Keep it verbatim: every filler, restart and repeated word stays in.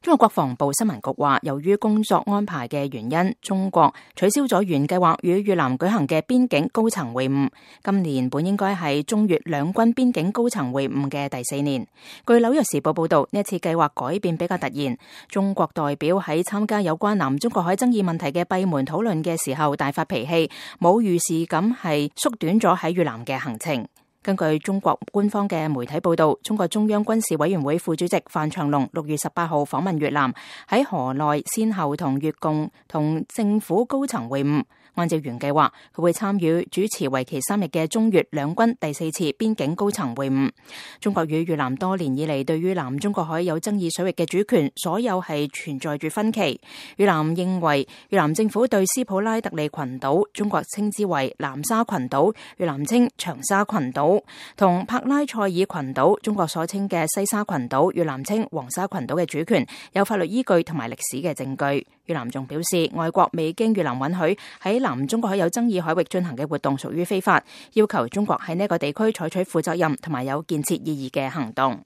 中國國防部新聞局話，由於工作安排嘅原因，中國取消咗原計劃與越南舉行嘅邊境高層會晤。今年本應該係中越兩軍邊境高層會晤嘅第四年。據紐約時報報道，呢一次計劃改變比較突然。中國代表喺參加有關南中國海爭議問題嘅閉門討論嘅時候大發脾氣，冇預示咁係縮短咗喺越南嘅行程。根據中國官方嘅媒體報道，中國中央軍事委員會副主席范長龍六月十八號訪問越南，喺河內先後同越共同政府高層會晤。按照原計劃，佢會參與主持為期三日嘅中越兩軍第四次邊境高層會晤。中國與越南多年以嚟對於南中國海有爭議水域嘅主權，所有係存在住分歧。越南認為越南政府對斯普拉特利群島，中國稱之為南沙群島，越南稱長沙群島，同柏拉塞爾群島，中國所稱嘅西沙群島，越南稱黃沙群島嘅主權有法律依據同埋歷史嘅證據。越南仲表示，外國未經越南允許喺南中國海有爭議海域進行嘅活動屬於非法，要求中國喺呢個地區採取負責任同埋有建設意義嘅行動。